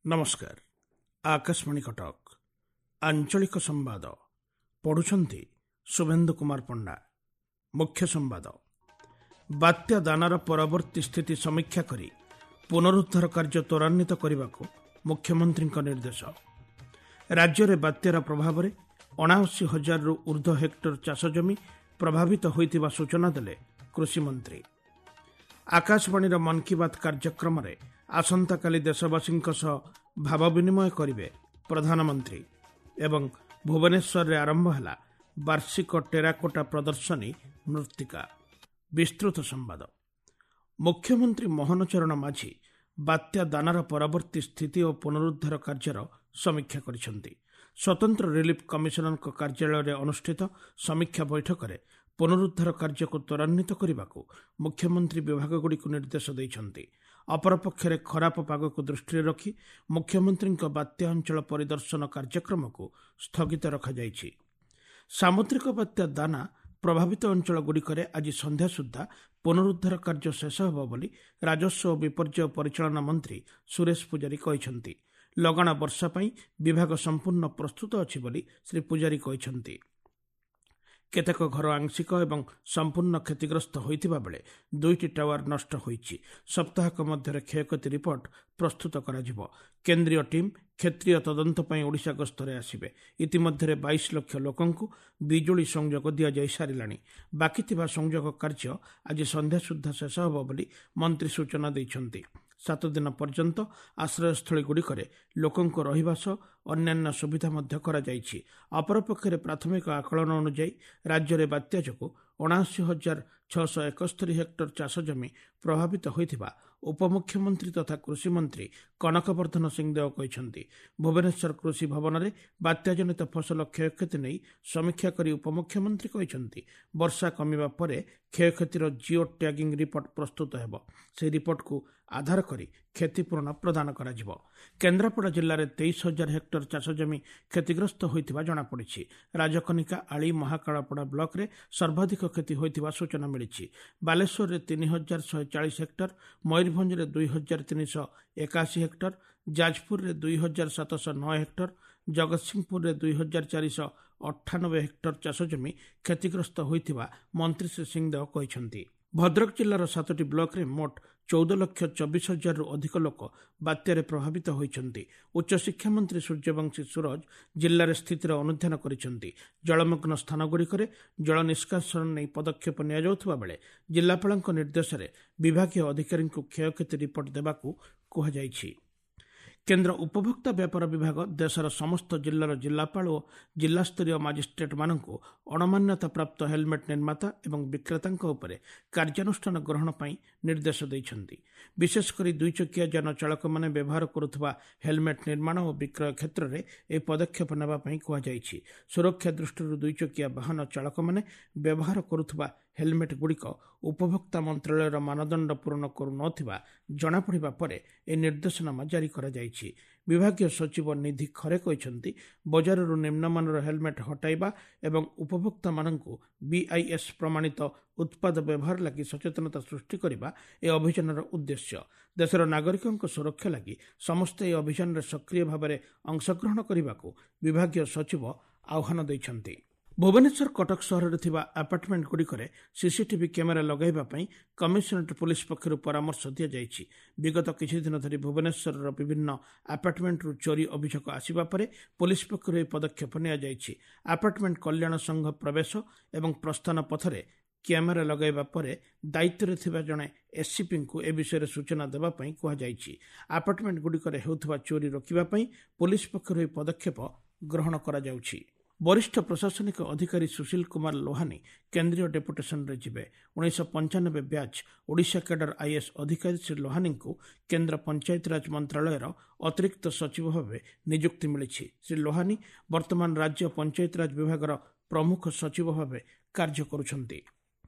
ନମସ୍କାର, ଆକାଶବାଣୀ କଟକ, ଆଞ୍ଚଳିକ ସମ୍ବାଦ ପଢ଼ୁଛନ୍ତି ଶୁଭେନ୍ଦୁ କୁମାର ପଣ୍ଡା। ମୁଖ୍ୟ ସମ୍ବାଦ। ବାତ୍ୟା ଦାନାର ପରବର୍ତ୍ତୀ ସ୍ଥିତି ସମୀକ୍ଷା କରି ପୁନରୁଦ୍ଧାର କାର୍ଯ୍ୟ ତ୍ୱରାନ୍ୱିତ କରିବାକୁ ମୁଖ୍ୟମନ୍ତ୍ରୀଙ୍କ ନିର୍ଦ୍ଦେଶ। ରାଜ୍ୟରେ ବାତ୍ୟାର ପ୍ରଭାବରେ 79 ହଜାରରୁ ଉର୍ଦ୍ଧ୍ୱ ହେକ୍ଟର ଚାଷଜମି ପ୍ରଭାବିତ ହୋଇଥିବା ସୂଚନା ଦେଲେ କୃଷିମନ୍ତ୍ରୀ। ଆକାଶବାଣୀର ମନ୍ କି ବାତ୍ କାର୍ଯ୍ୟକ୍ରମରେ ଆସନ୍ତାକାଲି ଦେଶବାସୀଙ୍କ ସହ ଭାବ ବିନିମୟ କରିବେ ପ୍ରଧାନମନ୍ତ୍ରୀ। ଏବଂ ଭୁବନେଶ୍ୱରରେ ଆରମ୍ଭ ହେଲା ବାର୍ଷିକ ଟେରାକୋଟା ପ୍ରଦର୍ଶନୀ ମୃତ୍ତିକା। ବିସ୍ତୃତ ସମ୍ବାଦ। ମୁଖ୍ୟମନ୍ତ୍ରୀ ମୋହନ ଚରଣ ମାଝୀ ବାତ୍ୟା ଦାନାର ପରବର୍ତ୍ତୀ ସ୍ଥିତି ଓ ପୁନରୁଦ୍ଧାର କାର୍ଯ୍ୟର ସମୀକ୍ଷା କରିଛନ୍ତି। ସ୍ୱତନ୍ତ୍ର ରିଲିଫ୍ କମିଶନରଙ୍କ କାର୍ଯ୍ୟାଳୟରେ ଅନୁଷ୍ଠିତ ସମୀକ୍ଷା ବୈଠକରେ ପୁନରୁଦ୍ଧାର କାର୍ଯ୍ୟକୁ ତ୍ୱରାନ୍ୱିତ କରିବାକୁ ମୁଖ୍ୟମନ୍ତ୍ରୀ ବିଭାଗଗୁଡ଼ିକୁ ନିର୍ଦ୍ଦେଶ ଦେଇଛନ୍ତି। ଅପରପକ୍ଷରେ ଖରାପ ପାଗକୁ ଦୃଷ୍ଟିରେ ରଖି ମୁଖ୍ୟମନ୍ତ୍ରୀଙ୍କ ବାତ୍ୟା ଅଞ୍ଚଳ ପରିଦର୍ଶନ କାର୍ଯ୍ୟକ୍ରମକୁ ସ୍ଥଗିତ ରଖାଯାଇଛି। ସାମୁଦ୍ରିକ ବାତ୍ୟା ଦାନା ପ୍ରଭାବିତ ଅଞ୍ଚଳଗୁଡ଼ିକରେ ଆଜି ସନ୍ଧ୍ୟା ସୁଦ୍ଧା ପୁନରୁଦ୍ଧାର କାର୍ଯ୍ୟ ଶେଷ ହେବ ବୋଲି ରାଜସ୍ୱ ଓ ବିପର୍ଯ୍ୟୟ ପରିଚାଳନା ମନ୍ତ୍ରୀ ସୁରେଶ ପୂଜାରୀ କହିଛନ୍ତି। ଲଗାଣ ବର୍ଷା ପାଇଁ ବିଭାଗ ସମ୍ପୂର୍ଣ୍ଣ ପ୍ରସ୍ତୁତ ଅଛି ବୋଲି ଶ୍ରୀ ପୂଜାରୀ କହିଛନ୍ତି। କେତେକ ଘର ଆଂଶିକ ଏବଂ ସମ୍ପୂର୍ଣ୍ଣ କ୍ଷତିଗ୍ରସ୍ତ ହୋଇଥିବା ବେଳେ 2ଟି ଟାୱାର ନଷ୍ଟ ହୋଇଛି। ସପ୍ତାହକ ମଧ୍ୟରେ କ୍ଷୟକ୍ଷତି ରିପୋର୍ଟ ପ୍ରସ୍ତୁତ କରାଯିବ। କେନ୍ଦ୍ରୀୟ ଟିମ୍ କ୍ଷେତ୍ରୀୟ ତଦନ୍ତ ପାଇଁ ଓଡ଼ିଶା ଗସ୍ତରେ ଆସିବେ। ଇତିମଧ୍ୟରେ 22 ଲକ୍ଷ ଲୋକଙ୍କୁ ବିଜୁଳି ସଂଯୋଗ ଦିଆଯାଇ ସାରିଲାଣି। ବାକି ଥିବା ସଂଯୋଗ କାର୍ଯ୍ୟ ଆଜି ସନ୍ଧ୍ୟା ସୁଦ୍ଧା ଶେଷ ହେବ ବୋଲି ମନ୍ତ୍ରୀ ସୂଚନା ଦେଇଛନ୍ତି। 7 ଦିନ ପର୍ଯ୍ୟନ୍ତ ଆଶ୍ରୟସ୍ଥଳୀଗୁଡ଼ିକରେ ଲୋକଙ୍କୁ ରହିବା ସହ ଅନ୍ୟାନ୍ୟ ସୁବିଧା ମଧ୍ୟ କରାଯାଇଛି। ଅପରପକ୍ଷରେ ପ୍ରାଥମିକ ଆକଳନ ଅନୁଯାୟୀ ରାଜ୍ୟରେ ବାତ୍ୟା ଯୋଗୁଁ 79,671 ହେକ୍ଟର ଚାଷଜମି ପ୍ରଭାବିତ ହୋଇଥିବା ଉପମୁଖ୍ୟମନ୍ତ୍ରୀ ତଥା କୃଷିମନ୍ତ୍ରୀ କନକ ବର୍ଦ୍ଧନ ସିଂଦେଓ କହିଛନ୍ତି। ଭୁବନେଶ୍ୱର କୃଷି ଭବନରେ ବାତ୍ୟାଜନିତ ଫସଲ କ୍ଷୟକ୍ଷତି ନେଇ ସମୀକ୍ଷା କରି ଉପମୁଖ୍ୟମନ୍ତ୍ରୀ କହିଛନ୍ତି, ବର୍ଷା କମିବା ପରେ କ୍ଷୟକ୍ଷତିର ଜିଓ ଟ୍ୟାଗିଂ ରିପୋର୍ଟ ପ୍ରସ୍ତୁତ ହେବ। ସେହି ରିପୋର୍ଟକୁ ଆଧାର କରି କ୍ଷତିପୂରଣ ପ୍ରଦାନ କରାଯିବ। କେନ୍ଦ୍ରାପଡ଼ା ଜିଲ୍ଲାରେ 23,000 ହେକ୍ଟର ଚାଷଜମି କ୍ଷତିଗ୍ରସ୍ତ ହୋଇଥିବା ଜଣାପଡ଼ିଛି। ରାଜକନିକା, ଆଳି, ମହାକାଳପଡ଼ା ବ୍ଲକରେ ସର୍ବାଧିକ କ୍ଷତି ହୋଇଥିବା ସୂଚନା ମିଳିଛି। ବାଲେଶ୍ୱରରେ 3,140 ହେକ୍ଟର, ମୟୂରଭଞ୍ଜରେ 2,381 ହେକ୍ଟର, ଯାଜପୁରରେ 2,709 ହେକ୍ଟର, ଜଗତସିଂହପୁରରେ 2,498 ହେକ୍ଟର ଚାଷଜମି କ୍ଷତିଗ୍ରସ୍ତ ହୋଇଥିବା ମନ୍ତ୍ରୀ ଶ୍ରୀ ସିଂଦେଓ କହିଛନ୍ତି। ଭଦ୍ରକ ଜିଲ୍ଲାର 7ଟି ବ୍ଲକରେ ମୋଟ 14,24,000ରୁ ଅଧିକ ଲୋକ ବାତ୍ୟାରେ ପ୍ରଭାବିତ ହୋଇଛନ୍ତି। ଉଚ୍ଚଶିକ୍ଷା ମନ୍ତ୍ରୀ ସୂର୍ଯ୍ୟବଂଶୀ ସୂରଜ ଜିଲ୍ଲାରେ ସ୍ଥିତିର ଅନୁଧ୍ୟାନ କରିଛନ୍ତି। ଜଳମଗ୍ନ ସ୍ଥାନଗୁଡ଼ିକରେ ଜଳ ନିଷ୍କାସନ ନେଇ ପଦକ୍ଷେପ ନିଆଯାଉଥିବା ବେଳେ ଜିଲ୍ଲାପାଳଙ୍କ ନିର୍ଦ୍ଦେଶରେ ବିଭାଗୀୟ ଅଧିକାରୀଙ୍କୁ କ୍ଷୟକ୍ଷତି ରିପୋର୍ଟ ଦେବାକୁ କୁହାଯାଇଛି। କେନ୍ଦ୍ର ଉପଭୋକ୍ତା ବ୍ୟାପାର ବିଭାଗ ଦେଶର ସମସ୍ତ ଜିଲ୍ଲାର ଜିଲ୍ଲାପାଳ ଓ ଜିଲ୍ଲାସ୍ତରୀୟ ମାଜିଷ୍ଟ୍ରେଟ୍ମାନଙ୍କୁ ଅଣମାନ୍ୟତାପ୍ରାପ୍ତ ହେଲମେଟ୍ ନିର୍ମାତା ଏବଂ ବିକ୍ରେତାଙ୍କ ଉପରେ କାର୍ଯ୍ୟାନୁଷ୍ଠାନ ଗ୍ରହଣ ପାଇଁ ନିର୍ଦ୍ଦେଶ ଦେଇଛନ୍ତି। ବିଶେଷକରି ଦୁଇଚକିଆ ଯାନ ଚାଳକମାନେ ବ୍ୟବହାର କରୁଥିବା ହେଲମେଟ୍ ନିର୍ମାଣ ଓ ବିକ୍ରୟ କ୍ଷେତ୍ରରେ ଏହି ପଦକ୍ଷେପ ନେବା ପାଇଁ କୁହାଯାଇଛି। ସୁରକ୍ଷା ଦୃଷ୍ଟିରୁ ଦୁଇଚକିଆ ବାହନ ଚାଳକମାନେ ବ୍ୟବହାର କରୁଥିବା ହେଲମେଟ୍ ଗୁଡ଼ିକ ଉପଭୋକ୍ତା ମନ୍ତ୍ରାଳୟର ମାନଦଣ୍ଡ ପୂରଣ କରୁନଥିବା ଜଣାପଡ଼ିବା ପରେ ଏହି ନିର୍ଦ୍ଦେଶନାମା ଜାରି କରାଯାଇଛି। ବିଭାଗୀୟ ସଚିବ ନିଧି ଖରେ କହିଛନ୍ତି, ବଜାରରୁ ନିମ୍ନମାନର ହେଲମେଟ୍ ହଟାଇବା ଏବଂ ଉପଭୋକ୍ତାମାନଙ୍କୁ ବିଆଇଏସ୍ ପ୍ରମାଣିତ ଉତ୍ପାଦ ବ୍ୟବହାର ଲାଗି ସଚେତନତା ସୃଷ୍ଟି କରିବା ଏହି ଅଭିଯାନର ଉଦ୍ଦେଶ୍ୟ। ଦେଶର ନାଗରିକଙ୍କ ସୁରକ୍ଷା ଲାଗି ସମସ୍ତେ ଏହି ଅଭିଯାନରେ ସକ୍ରିୟ ଭାବରେ ଅଂଶଗ୍ରହଣ କରିବାକୁ ବିଭାଗୀୟ ସଚିବ ଆହ୍ୱାନ ଦେଇଛନ୍ତି। ଭୁବନେଶ୍ୱର କଟକ ସହରରେ ଥିବା ଆପାର୍ଟମେଣ୍ଟଗୁଡ଼ିକରେ ସିସିଟିଭି କ୍ୟାମେରା ଲଗାଇବା ପାଇଁ କମିଶନରେଟ୍ ପୋଲିସ ପକ୍ଷରୁ ପରାମର୍ଶ ଦିଆଯାଇଛି। ବିଗତ କିଛିଦିନ ଧରି ଭୁବନେଶ୍ୱରର ବିଭିନ୍ନ ଆପାର୍ଟମେଣ୍ଟରୁ ଚୋରି ଅଭିଯୋଗ ଆସିବା ପରେ ପୋଲିସ ପକ୍ଷରୁ ଏହି ପଦକ୍ଷେପ ନିଆଯାଇଛି। ଆପାର୍ଟମେଣ୍ଟ କଲ୍ୟାଣ ସଂଘ ପ୍ରବେଶ ଏବଂ ପ୍ରସ୍ଥାନ ପଥରେ କ୍ୟାମେରା ଲଗାଇବା ପରେ ଦାୟିତ୍ୱରେ ଥିବା ଜଣେ ଏସ୍ସିପିଙ୍କୁ ଏ ବିଷୟରେ ସୂଚନା ଦେବା ପାଇଁ କୁହାଯାଇଛି। ଆପାର୍ଟମେଣ୍ଟଗୁଡ଼ିକରେ ହେଉଥିବା ଚୋରି ରୋକିବା ପାଇଁ ପୋଲିସ ପକ୍ଷରୁ ଏହି ପଦକ୍ଷେପ ଗ୍ରହଣ କରାଯାଉଛି। ବରିଷ୍ଠ ପ୍ରଶାସନିକ ଅଧିକାରୀ ସୁଶୀଲ କୁମାର ଲୋହାନୀ କେନ୍ଦ୍ରୀୟ ଡେପୁଟେସନରେ ଯିବେ। 1995 ବ୍ୟାଚ୍ ଓଡ଼ିଶା କ୍ୟାଡର is ଅଧିକାରୀ ଶ୍ରୀ ଲୋହାନୀଙ୍କୁ କେନ୍ଦ୍ର ପଞ୍ଚାୟତିରାଜ ମନ୍ତ୍ରାଳୟର ଅତିରିକ୍ତ ସଚିବ ଭାବେ ନିଯୁକ୍ତି ମିଳିଛି। ଶ୍ରୀ ଲୋହାନୀ ବର୍ତ୍ତମାନ ରାଜ୍ୟ ପଞ୍ଚାୟତିରାଜ ବିଭାଗର ପ୍ରମୁଖ ସଚିବ ଭାବେ କାର୍ଯ୍ୟ କରୁଛନ୍ତି।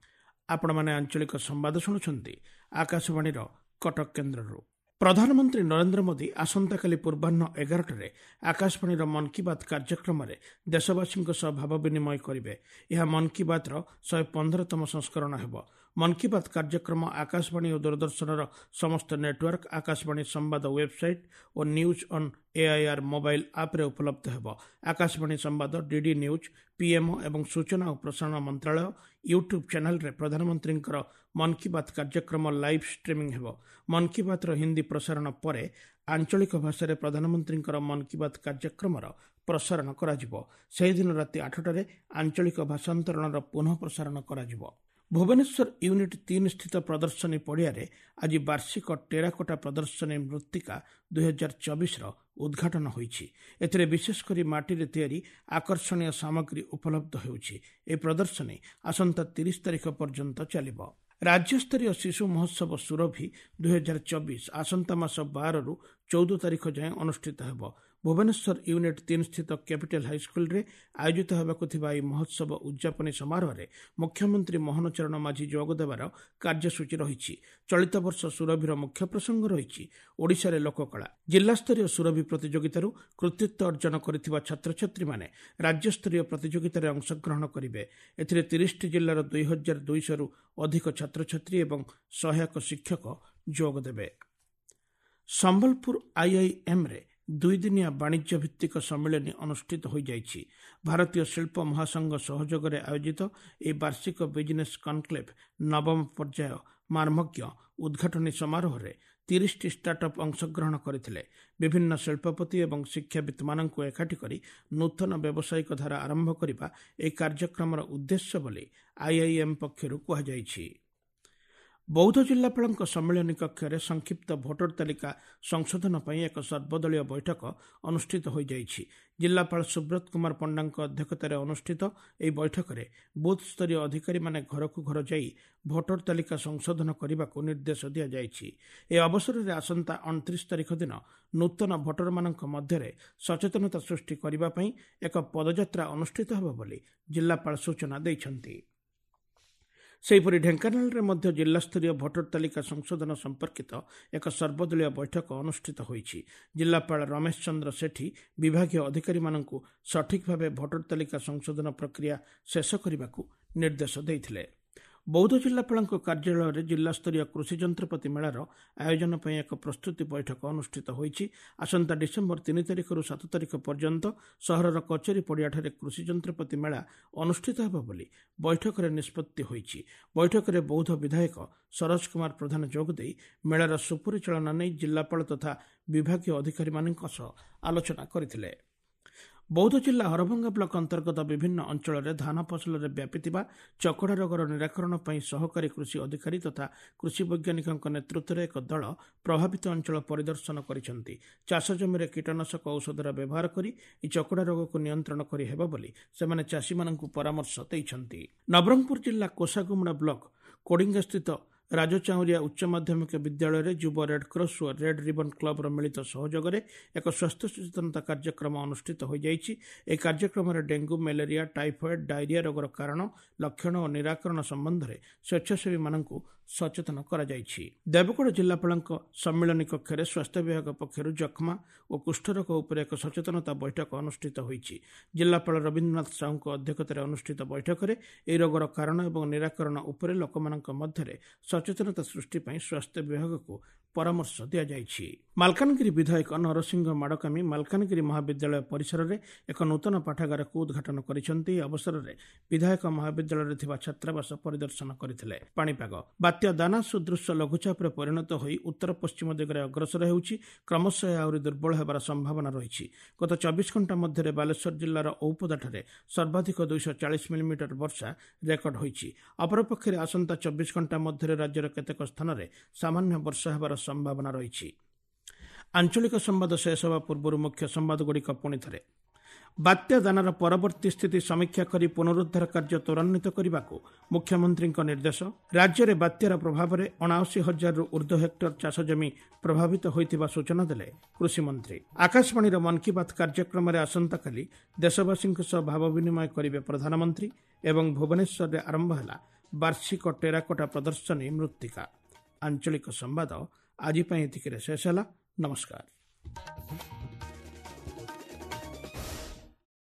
ଆପଣମାନେ ଆଞ୍ଚଳିକ ସମ୍ବାଦ ଶୁଣୁଛନ୍ତି ଆକାଶବାଣୀର କଟକ କେନ୍ଦ୍ରରୁ। ପ୍ରଧାନମନ୍ତ୍ରୀ ନରେନ୍ଦ୍ର ମୋଦି ଆସନ୍ତାକାଲି ପୂର୍ବାହ୍ନ 11ଟାରେ ଆକାଶବାଣୀର ମନ୍ କି ବାତ୍ କାର୍ଯ୍ୟକ୍ରମରେ ଦେଶବାସୀଙ୍କ ସହ ଭାବ ବିନିମୟ କରିବେ। ଏହା ମନ୍ କି ବାତ୍ର 115ତମ ସଂସ୍କରଣ ହେବ। ମନ୍ କି ବାତ୍ କାର୍ଯ୍ୟକ୍ରମ ଆକାଶବାଣୀ ଓ ଦୂରଦର୍ଶନର ସମସ୍ତ ନେଟୱାର୍କ, ଆକାଶବାଣୀ ସମ୍ବାଦ website O news on AIR mobile ଆପ୍ରେ ଉପଲବ୍ଧ ହେବ। ଆକାଶବାଣୀ ସମ୍ବାଦ, ଡିଡି ନ୍ୟୁଜ୍, ପିଏମ୍ଓ ଏବଂ ସୂଚନା ଓ ପ୍ରସାରଣ ମନ୍ତ୍ରାଳୟ ୟୁଟ୍ୟୁବ୍ ଚ୍ୟାନେଲ୍ରେ ପ୍ରଧାନମନ୍ତ୍ରୀଙ୍କର ମନ୍ କି ବାତ୍ କାର୍ଯ୍ୟକ୍ରମ ଲାଇଭ୍ ଷ୍ଟ୍ରିମିଂ ହେବ। ମନ୍ କି ବାତ୍ର ହିନ୍ଦୀ ପ୍ରସାରଣ ପରେ ଆଞ୍ଚଳିକ ଭାଷାରେ ପ୍ରଧାନମନ୍ତ୍ରୀଙ୍କର ମନ୍ କି ବାତ୍ କାର୍ଯ୍ୟକ୍ରମର ପ୍ରସାରଣ କରାଯିବ। ସେହିଦିନ ରାତି 8ଟାରେ ଆଞ୍ଚଳିକ ଭାଷାନ୍ତରଣର ପୁନଃ ପ୍ରସାରଣ କରାଯିବ। ଭୁବନେଶ୍ୱର ୟୁନିଟ୍ 3 ସ୍ଥିତ ପ୍ରଦର୍ଶନୀ ପଡ଼ିଆରେ ଆଜି ବାର୍ଷିକ ଟେରାକୋଟା ପ୍ରଦର୍ଶନୀ ମୃତ୍ତିକା 2024ର ଉଦ୍ଘାଟନ ହୋଇଛି। ଏଥିରେ ବିଶେଷ କରି ମାଟିରେ ତିଆରି ଆକର୍ଷଣୀୟ ସାମଗ୍ରୀ ଉପଲବ୍ଧ ହେଉଛି। ଏହି ପ୍ରଦର୍ଶନୀ ଆସନ୍ତା 30 ତାରିଖ ପର୍ଯ୍ୟନ୍ତ ଚାଲିବ। ରାଜ୍ୟସ୍ତରୀୟ ଶିଶୁ ମହୋତ୍ସବ ସୁରଭି 2024 ଆସନ୍ତା ମାସ 12ରୁ 14 ତାରିଖ ଯାଏଁ ଅନୁଷ୍ଠିତ ହେବ। ଭୁବନେଶ୍ୱର ୟୁନିଟ୍ 3 ସ୍ଥିତ କ୍ୟାପିଟାଲ ହାଇସ୍କୁଲରେ ଆୟୋଜିତ ହେବାକୁ ଥିବା ଏହି ମହୋତ୍ସବ ଉଦ୍ଯାପନୀ ସମାରୋହରେ ମୁଖ୍ୟମନ୍ତ୍ରୀ ମୋହନ ଚରଣ ମାଝୀ ଯୋଗଦେବାର କାର୍ଯ୍ୟସୂଚୀ ରହିଛି। ଚଳିତ ବର୍ଷ ସୁରଭିର ମୁଖ୍ୟ ପ୍ରସଙ୍ଗ ରହିଛି ଓଡ଼ିଶାରେ ଲୋକକଳା। ଜିଲ୍ଲାସ୍ତରୀୟ ସୁରଭି ପ୍ରତିଯୋଗିତାରୁ କୃତିତ୍ୱ ଅର୍ଜନ କରିଥିବା ଛାତ୍ରଛାତ୍ରୀମାନେ ରାଜ୍ୟସ୍ତରୀୟ ପ୍ରତିଯୋଗିତାରେ ଅଂଶଗ୍ରହଣ କରିବେ। ଏଥିରେ 30ଟି ଜିଲ୍ଲାର 2200ରୁ ଅଧିକ ଛାତ୍ରଛାତ୍ରୀ ଏବଂ ସହାୟକ ଶିକ୍ଷକ ଯୋଗଦେବେ। ସମ୍ବଲପୁର ଆଇଆଇଏମ୍ରେ 2 ଦିନିଆ ବାଣିଜ୍ୟ ଭିତ୍ତିକ ସମ୍ମିଳନୀ ଅନୁଷ୍ଠିତ ହୋଇଯାଇଛି। ଭାରତୀୟ ଶିଳ୍ପ ମହାସଂଘ ସହଯୋଗରେ ଆୟୋଜିତ ଏହି ବାର୍ଷିକ ବିଜିନେସ୍ କନକ୍ଲେଭ୍ ନବମ ପର୍ଯ୍ୟାୟ ମର୍ମଜ୍ଞ ଉଦ୍ଘାଟନୀ ସମାରୋହରେ 30ଟି ଷ୍ଟାର୍ଟଅପ୍ ଅଂଶଗ୍ରହଣ କରିଥିଲେ। ବିଭିନ୍ନ ଶିଳ୍ପପତି ଏବଂ ଶିକ୍ଷାବିତ୍ମାନଙ୍କୁ ଏକାଠି କରି ନୂତନ ବ୍ୟବସାୟିକ ଧାରା ଆରମ୍ଭ କରିବା ଏହି କାର୍ଯ୍ୟକ୍ରମର ଉଦ୍ଦେଶ୍ୟ ବୋଲି ଆଇଆଇଏମ୍ ପକ୍ଷରୁ କୁହାଯାଇଛି। ବୌଦ୍ଧ ଜିଲ୍ଲାପାଳଙ୍କ ସମ୍ମିଳନୀ କକ୍ଷରେ ସଂକ୍ଷିପ୍ତ ଭୋଟର ତାଲିକା ସଂଶୋଧନ ପାଇଁ ଏକ ସର୍ବଦଳୀୟ ବୈଠକ ଅନୁଷ୍ଠିତ ହୋଇଯାଇଛି। ଜିଲ୍ଲାପାଳ ସୁବ୍ରତ କୁମାର ପଣ୍ଡାଙ୍କ ଅଧ୍ୟକ୍ଷତାରେ ଅନୁଷ୍ଠିତ ଏହି ବୈଠକରେ ବୁଥ୍ ସ୍ତରୀୟ ଅଧିକାରୀମାନେ ଘରକୁ ଘର ଯାଇ ଭୋଟର ତାଲିକା ସଂଶୋଧନ କରିବାକୁ ନିର୍ଦ୍ଦେଶ ଦିଆଯାଇଛି। ଏହି ଅବସରରେ ଆସନ୍ତା 29 ତାରିଖ ଦିନ ନୂତନ ଭୋଟରମାନଙ୍କ ମଧ୍ୟରେ ସଚେତନତା ସୃଷ୍ଟି କରିବା ପାଇଁ ଏକ ପଦଯାତ୍ରା ଅନୁଷ୍ଠିତ ହେବ ବୋଲି ଜିଲ୍ଲାପାଳ ସୂଚନା ଦେଇଛନ୍ତି। ସେହିପରି ଢେଙ୍କାନାଳରେ ମଧ୍ୟ ଜିଲ୍ଲାସ୍ତରୀୟ ଭୋଟର ତାଲିକା ସଂଶୋଧନ ସମ୍ପର୍କିତ ଏକ ସର୍ବଦଳୀୟ ବୈଠକ ଅନୁଷ୍ଠିତ ହୋଇଛି। ଜିଲ୍ଲାପାଳ ରମେଶ ଚନ୍ଦ୍ର ସେଠୀ ବିଭାଗୀୟ ଅଧିକାରୀମାନଙ୍କୁ ସଠିକ୍ ଭାବେ ଭୋଟର ତାଲିକା ସଂଶୋଧନ ପ୍ରକ୍ରିୟା ଶେଷ କରିବାକୁ ନିର୍ଦ୍ଦେଶ ଦେଇଥିଲେ। ବୌଦ୍ଧ ଜିଲ୍ଲାପାଳଙ୍କ କାର୍ଯ୍ୟାଳୟରେ ଜିଲ୍ଲାସ୍ତରୀୟ କୃଷି ଯନ୍ତ୍ରପାତି ମେଳାର ଆୟୋଜନ ପାଇଁ ଏକ ପ୍ରସ୍ତୁତି ବୈଠକ ଅନୁଷ୍ଠିତ ହୋଇଛି। ଆସନ୍ତା ଡିସେମ୍ବର 3 ତାରିଖରୁ 7 ତାରିଖ ପର୍ଯ୍ୟନ୍ତ ସହରର କଚେରୀ ପଡ଼ିଆଠାରେ କୃଷି ଯନ୍ତ୍ରପାତି ମେଳା ଅନୁଷ୍ଠିତ ହେବ ବୋଲି ବୈଠକରେ ନିଷ୍ପତ୍ତି ହୋଇଛି। ବୈଠକରେ ବୌଦ୍ଧ ବିଧାୟକ ସରୋଜ କୁମାର ପ୍ରଧାନ ଯୋଗଦେଇ ମେଳାର ସୁପରିଚାଳନା ନେଇ ଜିଲ୍ଲାପାଳ ତଥା ବିଭାଗୀୟ ଅଧିକାରୀମାନଙ୍କ ସହ ଆଲୋଚନା କରିଥିଲେ। ବୌଦ୍ଧ ଜିଲ୍ଲା ହରଭଙ୍ଗା ବ୍ଲକ ଅନ୍ତର୍ଗତ ବିଭିନ୍ନ ଅଞ୍ଚଳରେ ଧାନ ଫସଲରେ ବ୍ୟାପିଥିବା ଚକଡ଼ା ରୋଗର ନିରାକରଣ ପାଇଁ ସହକାରୀ କୃଷି ଅଧିକାରୀ ତଥା କୃଷି ବୈଜ୍ଞାନିକଙ୍କ ନେତୃତ୍ୱରେ ଏକ ଦଳ ପ୍ରଭାବିତ ଅଞ୍ଚଳ ପରିଦର୍ଶନ କରିଛନ୍ତି। ଚାଷ ଜମିରେ କୀଟନାଶକ ଔଷଧର ବ୍ୟବହାର କରି ଏହି ଚକଡ଼ା ରୋଗକୁ ନିୟନ୍ତ୍ରଣ କରିହେବ ବୋଲି ସେମାନେ ଚାଷୀମାନଙ୍କୁ ପରାମର୍ଶ ଦେଇଛନ୍ତି। ନବରଙ୍ଗପୁର ଜିଲ୍ଲା କୋଷାଗୁମୁଡ଼ା ବ୍ଲକ କୋଡ଼ିଙ୍ଗାସ୍ଥିତ ରାଜଚାଉଁରିଆ ଉଚ୍ଚ ମାଧ୍ୟମିକ ବିଦ୍ୟାଳୟରେ ଯୁବ ରେଡ୍କ୍ରସ୍ ଓ ରେଡ୍ ରିବନ୍ କ୍ଲବର ମିଳିତ ସହଯୋଗରେ ଏକ ସ୍ୱାସ୍ଥ୍ୟ ସଚେତନତା କାର୍ଯ୍ୟକ୍ରମ ଅନୁଷ୍ଠିତ ହୋଇଯାଇଛି। ଏହି କାର୍ଯ୍ୟକ୍ରମରେ ଡେଙ୍ଗୁ, ମ୍ୟାଲେରିଆ, ଟାଇଫଏଡ୍, ଡାଇରିଆ ରୋଗର କାରଣ, ଲକ୍ଷଣ ଓ ନିରାକରଣ ସମ୍ବନ୍ଧରେ ସ୍ୱେଚ୍ଛାସେବୀମାନଙ୍କୁ ସଚେତନ କରାଯାଇଛି। ଦେବଗଡ଼ ଜିଲ୍ଲାପାଳଙ୍କ ସମ୍ମିଳନୀ କକ୍ଷରେ ସ୍ୱାସ୍ଥ୍ୟ ବିଭାଗ ପକ୍ଷରୁ ଯକ୍ଷ୍ମା ଓ କୁଷ୍ଠରୋଗ ଉପରେ ଏକ ସଚେତନତା ବୈଠକ ଅନୁଷ୍ଠିତ ହୋଇଛି। ଜିଲ୍ଲାପାଳ ରବୀନ୍ଦ୍ରନାଥ ସାହୁଙ୍କ ଅଧ୍ୟକ୍ଷତାରେ ଅନୁଷ୍ଠିତ ବୈଠକରେ ଏହି ରୋଗର କାରଣ ଏବଂ ନିରାକରଣ ଉପରେ ଲୋକମାନଙ୍କ ମଧ୍ୟରେ ସଚେତନତା ସୃଷ୍ଟି ପାଇଁ ସ୍ୱାସ୍ଥ୍ୟ ବିଭାଗକୁ ପରାମର୍ଶ ଦିଆଯାଇଛି। ମାଲକାନଗିରି ବିଧାୟକ ନରସିଂହ ମାଡ଼କାମୀ ମାଲକାନଗିରି ମହାବିଦ୍ୟାଳୟ ପରିସରରେ ଏକ ନୂତନ ପାଠାଗାରକୁ ଉଦ୍ଘାଟନ କରିଛନ୍ତି। ଏହି ଅବସରରେ ବିଧାୟକ ମହାବିଦ୍ୟାଳୟରେ ଥିବା ଛାତ୍ରାବାସ ପରିଦର୍ଶନ କରିଥିଲେ। ପାଣିପାଗ: ବାତ୍ୟା ଦାନା ସୁଦୃଶ୍ୟ ଲଘୁଚାପରେ ପରିଣତ ହୋଇ ଉତ୍ତର ପଶ୍ଚିମ ଦିଗରେ ଅଗ୍ରସର ହେଉଛି। କ୍ରମଶଃ ଏହା ଆହୁରି ଦୁର୍ବଳ ହେବାର ସମ୍ଭାବନା ରହିଛି। ଗତ 24 ଘଣ୍ଟା ମଧ୍ୟରେ ବାଲେଶ୍ୱର ଜିଲ୍ଲାର ଔପଦାଠାରେ ସର୍ବାଧିକ 240 ମିଲିମିଟର ବର୍ଷା ରେକର୍ଡ ହୋଇଛି। ଅପରପକ୍ଷରେ ଆସନ୍ତା 24 ଘଣ୍ଟା ମଧ୍ୟରେ ରାଜ୍ୟର କେତେକ ସ୍ଥାନରେ ସାମାନ୍ୟ ବର୍ଷା ହେବାର ସମ୍ଭାବନା ରହିଛି। ଆଞ୍ଚଳିକ ସମ୍ବାଦ ଶେଷ ହେବା ପୂର୍ବରୁ ମୁଖ୍ୟ ସମ୍ବାଦଗୁଡ଼ିକ ପୁଣି ଥରେ। ବାତ୍ୟା ଦାନାର ପରବର୍ତ୍ତୀ ସ୍ଥିତି ସମୀକ୍ଷା କରି ପୁନରୁଦ୍ଧାର କାର୍ଯ୍ୟ ତ୍ୱରାନ୍ୱିତ କରିବାକୁ ମୁଖ୍ୟମନ୍ତ୍ରୀଙ୍କ ନିର୍ଦ୍ଦେଶ। ରାଜ୍ୟରେ ବାତ୍ୟାର ପ୍ରଭାବରେ 79 ହଜାରରୁ ଉର୍ଦ୍ଧ୍ୱ ହେକ୍ଟର ଚାଷ ଜମି ପ୍ରଭାବିତ ହୋଇଥିବା ସୂଚନା ଦେଲେ କୃଷିମନ୍ତ୍ରୀ। ଆକାଶବାଣୀର ମନ୍ କି ବାତ୍ କାର୍ଯ୍ୟକ୍ରମରେ ଆସନ୍ତାକାଲି ଦେଶବାସୀଙ୍କ ସହ ଭାବ ବିନିମୟ କରିବେ ପ୍ରଧାନମନ୍ତ୍ରୀ ଏବଂ ଭୁବନେଶ୍ୱରରେ ଆରମ୍ଭ ହେଲା ବାର୍ଷିକ ଟେରାକୋଟା ପ୍ରଦର୍ଶନୀ ମୃତ୍ତିକା। ଆଞ୍ଚଳିକ ସମ୍ବାଦ ଆଜି ପାଇଁ ଏତିକିରେ ଶେଷ ହେଲା। ନମସ୍କାର।